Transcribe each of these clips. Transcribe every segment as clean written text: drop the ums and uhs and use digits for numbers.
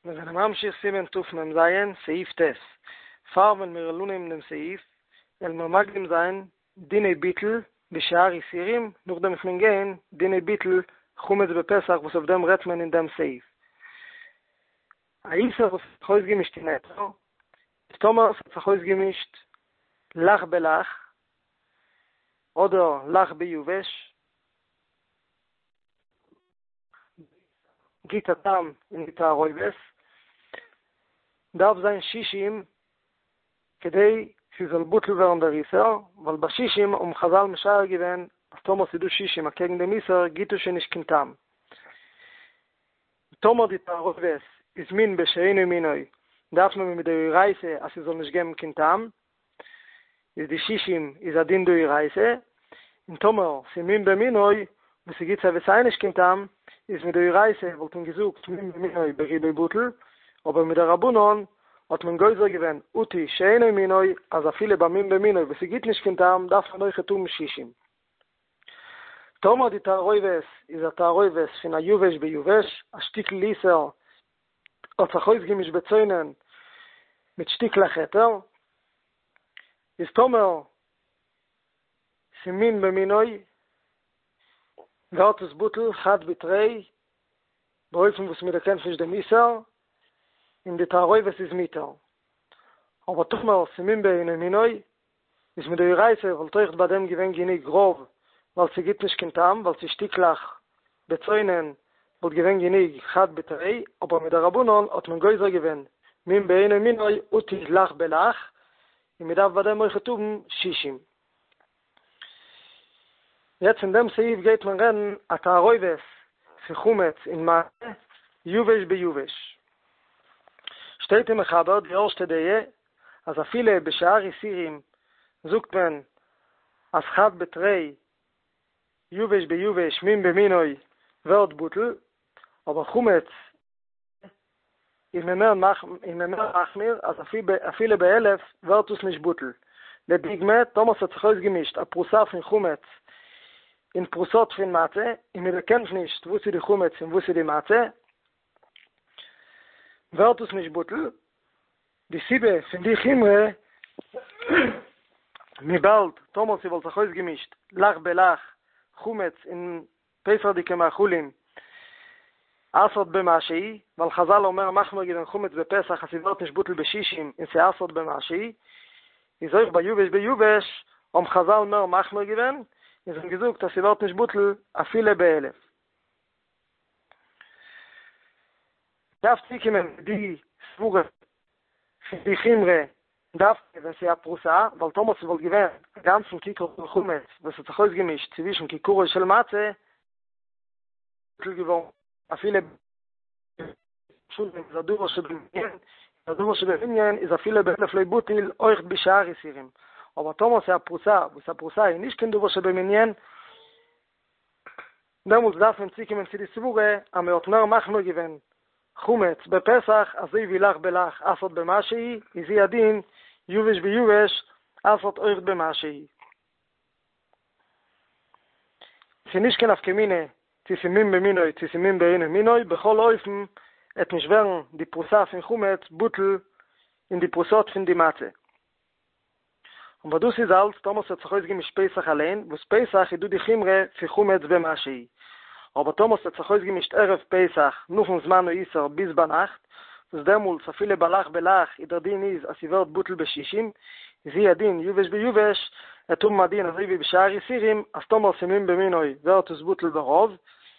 מיר זענען ממשיך סימן תמ"ז, סעיף ט'. פאר ווען מיר וועלן אנהייבן דעם סעיף, וועלן מיר מקדים זיין דיני ביטול בשאר איסורים, נאכדעם וועט מען גיין דיני ביטול חמץ בפסח וואס אויף דעם רעדט מען אין דעם סעיף. א איסור וואס האט זיך אויסגעמישט אין היתר, איז טאמער עס האט זיך אויסגעמישט לח בלח, אדער לח ביבש, גיט א טעם אין די תערובת, דארף זיין שישים כדי ס'זאל בטל ווערן דער איסור, ווייל ביי שישים האבן חזל משער געווען אז טאמער ס'איז דא שישים אקעגן דעם איסור גיט עס שוין נישט קיין טעם. טאמער די תערובת איז מין בשאינו מינו דארף מען מדאורייתא אז ס'זאל נישט געבן קיין טעם, איז די שישים איז א דין דאורייתא, און טאמער ס'איז מין במינו וואס ס'גיט סיי ווי סיי נישט קיין טעם, איז מדאורייתא וואלט מען געזאגט מין במינו ברובו בטל, אבער מדרבנן האט מען גוזר געווען אטו שאינו מינו אז אפילו ביי מין במינו וואס ס'גיט נישט קיין טעם דארף מען אויכעט האבן שישים. טאמער די תערובת איז א תערובת פון א יבש ביבש, א שטיקל איסור האט זיך אויסגעמישט בצונן מיט שטיקלעך היתר, איז טאמער ס'מין במינו ווערט עס בטל חד בתרי באופן וואס מ'דערקענט נישט דעם איסור און די תערובת איז מותר, אבער טאמער ס'מין באינו מינו איז מדאורייתא וואלט אויכט ביי דעם געווען גענוג רוב ווייל ס'גיט נישט קיין טעם ווייל ס'איז שטיקלעך בצונן וואלט געווען גענוג חד בתרי אבער מדרבנן האט מען גוזר געווען מין באינו מינו אטו לח בלח און מ'דארף ביי דעם אויכעט האבן שישים. יעצט אין דעם סעיף גייט מען רעדן א תערובת פון חמץ און מצה יבש ביבש. שטייט אין מחבר די ערשטע דעה אז אפילו בשאר איסורים זאגט מען אז חד בתרי יבש ביבש מין במינו ווערט בטל, אבער חמץ איז מען מער איז מען מער מחמיר אז אפילו באלף ווערט עס נישט בטל. לדוגמא, טאמער ס'האט זיך אויסגעמישט א פרוסה פון חמץ און פרוסות פון מצה און מען דערקענט נישט וואס איז די חמץ און וואס איז די מצה, ווערט עס נישט בטל, די סיבה פון די חומרא, וויבאלד טאמער ס'וואלט זיך אויסגעמישט לח בלח חמץ און פסח'דיגע מאכלים אסר'ט במשהו, ווייל חזל האבן מער מחמיר געווען חמץ בפסח אז ס'ווערט נישט בטל בשישים און ס'אסר'ט במשהו, איז אויך ביי יבש ביבש האבן חזל מער מחמיר געווען און זיי האבן געזאגט אז ס'ווערט נישט בטל אפילו באלף. דארף צוקומען די סברה פון די חומרא דווקא ווען ס'איז א פרוסה, ווייל טאמער ס'וואלט געווען א גאנצן כיכר פון חמץ וואס האט זיך אויסגעמישט צווישן כיכרו של מצה, בטל געווארן אפילו שלום איז א דבר שבמנין, א דבר שבמנין איז אפילו באלף לא בטיל אויך בשאר איסורים, אבער טאמער ס'איז א פרוסה וואס א פרוסה איז נישט קיין דבר שבמנין, דעמאלטס דארף מען צוקומען צו די סברה אז מען האט מער מחמיר געווען חמץ בפסח אזוי ווי לח בלח אסר'ט במשהו איז הוא הדין יבש ביבש אסר'ט אויך במשהו. ס'איז נישט קיין נפקא מינה צו ס'איז מין במינו צו ס'איז מין באינו מינו, בכל אופן עט נישט ווערן די פרוסה פון חמץ בטל אין די פרוסות פון די מצה. אבער דאס איז אלץ טאמער ס'האט זיך אויסגעמישט פסח אליין, וואס פסח איז דא די חומרא פון חמץ במשהו, אבער טאמער ס'האט זיך אויסגעמישט ערב פסח נאכן זמן האיסור ביז ביינאכט, וואס דעמאלטס אפילו בלח בלח איז דער דין איז אז ס'ווערט בטל בשישים, איז הוא הדין יבש ביבש, עט האבן א דין אזוי ווי בשאר איסורים אז טאמער ס'מין במינו ווערט עס בטל ברוב,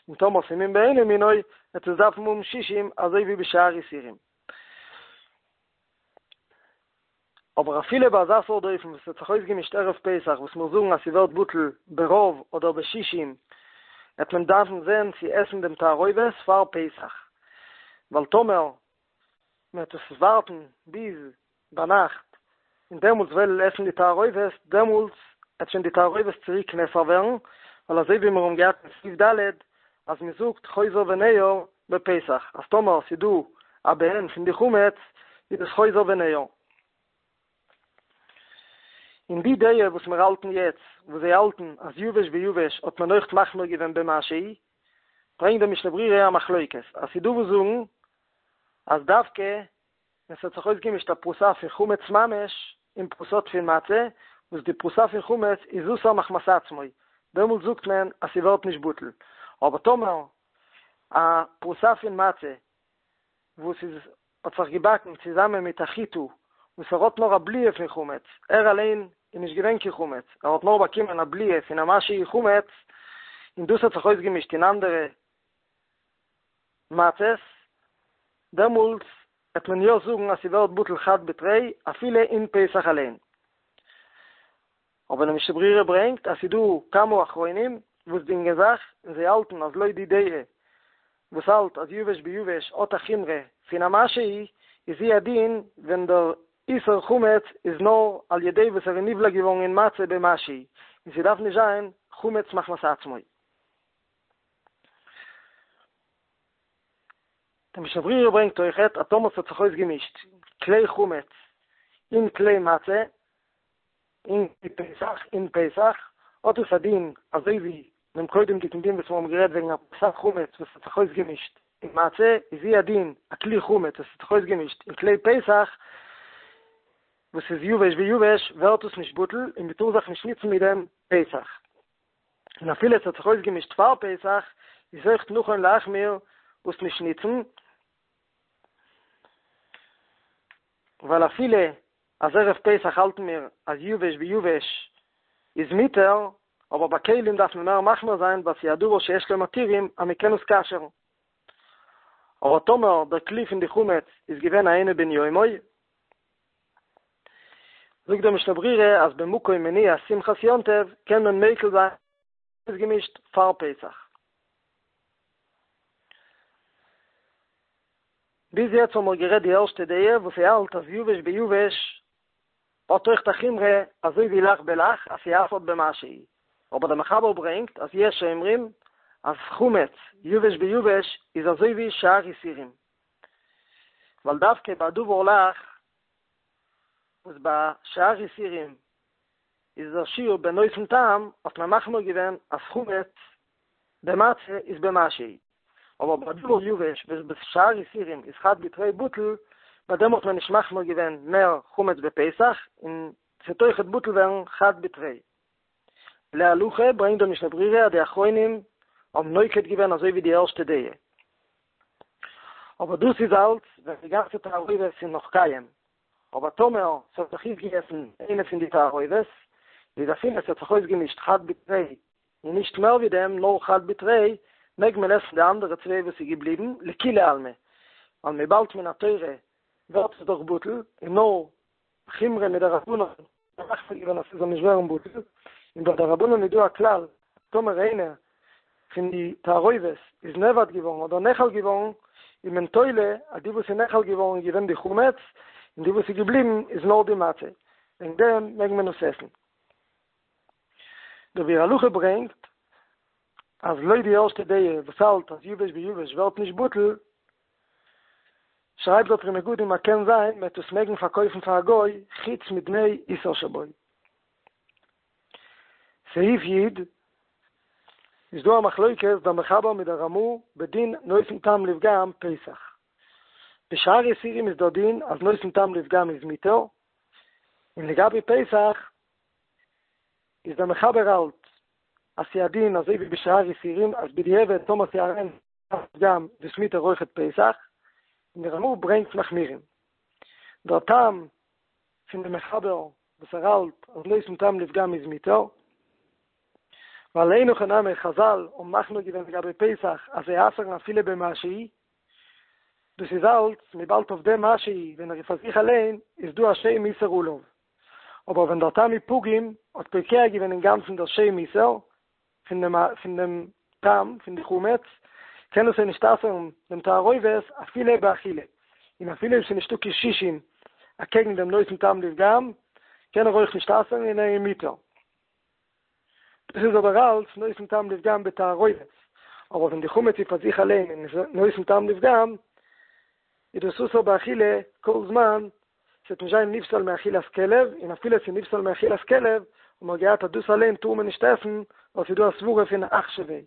און טאמער ס'מין באינו מינו וועט עס דארפן האבן שישים אזוי ווי בשאר איסורים. אבער אפילו ביי אזא סארט אופן וואס האט זיך אויסגעמישט ערב פסח וואס מיר זאגן אז ס'ווערט בטל ברוב אדער בשישים, העט מען דארפן זען צו עסן דעם תערובת פאר פסח, ווייל טאמער מ'וועט עס ווארטן ביז ביינאכט און דעמאלטס וועלן עסן די תערובת, דעמאלטס העט שוין די תערובת צוריק נאסר ווערן, ווייל אזוי ווי מיר האבן געהאט אין סעיף ד' אז מ'זאגט חוזר וניעור בפסח, אז טאמער ס'איז דא א בעין פון די חמץ איז עס חוזר וניעור. און די דעה וואס מיר האלטן יעצט, וואס זיי האלטן אז יבש ביבש האט מען אויכט מחמיר געווען במשהו, ברענגט דער משנה ברורה א מחלוקת, אז ס'איז דא וואס זאגן. אז דווקא ווען ס'האט זיך אויסגעמישט א פרוסה פון חמץ ממש און פרוסות פון מצה, וואס די פרוסה פון חמץ איז אסור מחמת עצמו, דעמאלט זאגט מען אז ס'ווערט נישט בטל, אבער טאמער א פרוסה פון מצה וואס איז האט זיך געבאקן צוזאמען מיט א חיטה וואס ער האט נאר א בליעה פון חמץ, ער אליין איז נישט געווען קיין חמץ, ער האט נאר באקומען א בליעה פון א משהו חמץ, און דאס האט זיך אויסגעמישט אין אנדערע מצות, דעמאלטס וועט מען יא זאגן אז ס'ווערט בטל חד בתרי אפילו אין פסח אליין. אבער די משנה ברורה ברענגט אז ס'דא כמה אחרונים וואס דינגען זיך און זיי האלטן אז לויט די דעה וואס האלט אז יבש ביבש האט א חומרא פון א משהו איז הוא הדין ווען דער איסור חמץ איז נאר על ידי וואס ער איז נבלע געווארן אין מצה במשהו און ס'דארף נישט זיין חמץ מחמת עצמו. די משנה ברורה ברענגט אויכעט אז טאמער ס'האט זיך אויסגעמישט כלי חמץ און כלי מצה אין פסח אין פסח האט עס א דין אזוי ווי דעם קודם'דיגן דין וואס מיר האבן גערעדט וועגן א פרוסת חמץ וואס האט זיך אויסגעמישט אין מצה איז הוא הדין א כלי חמץ וואס האט זיך אויסגעמישט אין כלי פסח וואס איז יבש ביבש ווערט עס נישט בטל און מ'טאר זיך נישט נוצן מיט דעם פסח. און אפילו עס האט זיך אויסגעמישט פאר פסח, איז אויך נכון להחמיר עס נישט ניצן, ווייל אפילו אז ערב פסח האלטן מיר אז יבש ביבש איז מותר, אבער ביי כלים דארף מען מער מחמיר זיין ווייל ס'איז א דבר שיש לו מתירים אז מ'קען עס כשר'ן. אבער טאמער דער כלי פון די חמץ איז געווען א אינו בן יומו, זאגט דער משנה ברורה אז במקום מניעת שמחת יום טוב קען מען מיקל זיין אויסגעמישט פאר פסח. ביז יעצט האבן מיר גערעדט די ערשטע דעה וואס ס'האלט אז יבש ביבש האט אויכט א חומרא אזוי ווי לח בלח אז ס'אסר'ט במשהו, אבער דער מחבר ברענגט אז יש אומרים אז חמץ יבש ביבש איז אזוי ווי שאר איסורים, ווייל דווקא ביי דבר לח וואס ביי שאר איסורים איז דער שיעור בנותן טעם האט מען מחמיר געווען אז חמץ במצה איז במשהו, אבער ביי דבר יבש וואס בשאר איסורים איז חד בתרי בטל, ביי דעם האט מען נישט מחמיר געווען מער חמץ בפסח און ס'וועט אויכעט בטל ווערן חד בתרי. להלכה ברענגט דער משנה ברורה אז די אחרונים האבן נוקט געווען אזוי ווי די ערשטע דעה. אבער דאס איז אלץ ווען די גאנצע תערובת איז נאך קיים, אבער טאמער ס'האט זיך אויפגעגעסן איינע פון די תערובות, איז אפילו ס'האט זיך אויסגעמישט חד בתרי און נישט מער ווי דעם, נאר חד בתרי, מעג מען עסן די אנדערע צוויי וואס איז געבליבן, לכולי עלמא, ווייל וויבאלד מן התורה ווערט עס דאך בטל, און נאר חומרא מדרבנן האט מחמיר געווען אז ס'זאל נישט ווערן בטל, און ביי דרבנן איז דא א כלל, טאמער איינע פון די תערובות איז נאבד געווארן אדער נאכל געווארן, איז מען תולה אז די וואס איז נאכל געווארן איז געווען די חמץ, און די וואס איז געבליבן איז נאר די מצה, וועגן דעם מעג מען עס עסן. דער ביאור הלכה ברענגט אז לויט די ערשטע דעה וואס האלט אז יבש ביבש ווערט נישט בטל, שרייבט דער פרי מגדים אז קען זיין מ'עט עס מעגן פארקויפן פאר א גוי חוץ מדמי איסור שבו. סעיף י', איז דא א מחלוקת דער מחבר מיט דער רמ"א בדין נותן טעם לפגם פסח. בשאר איסורים איז דער דין אז נותן טעם לפגם איז מותר, און לגבי פסח איז דער מחבר האלט אז ס'איז א דין אזוי ווי בשאר איסורים אז בדיעבד טאמער ס'איז אריין פגם איז עס מותר אויכעט פסח, און דער רמ"א ברענגט מחמירים. דער טעם פון דעם מחבר וואס ער האלט אז נותן טעם לפגם איז מותר, ווייל אין הכי נמי חזל האבן מחמיר געווען לגבי פסח אז זיי אסר'ן אפילו במשהו, דאס איז אלץ וויבאלד אויף דעם משהו ווען ער איז פאר זיך אליין איז דא א שם איסור עליו, אבער ווען דער טעם איז פגום האט פוקע געווען אינגאנצן דער שם איסור, פון דעם פון דעם טעם פון די חמץ, קען עס נישט אסר'ן דעם תערובת אפילו באכילה, און אפילו אויב ס'איז נישטא קיין שישים אקעגן דעם נותן טעם לפגם, קען ער אויך נישט אסר'ן און ער איז מותר. דאס איז אבער אלץ נותן טעם לפגם בתערובת, אבער ווען די חמץ איז פאר זיך אליין און איז נותן טעם לפגם, איז דאס אסור באכילה כל זמן ס'וועט נישט זיין נפסל מאכילת כלב, און אפילו ס'איז נפסל מאכילת כלב, האט מען געהאט אז דאס אליין טאר מען נישט עסן, ווייל ס'איז דא א סברה פון אחשביה.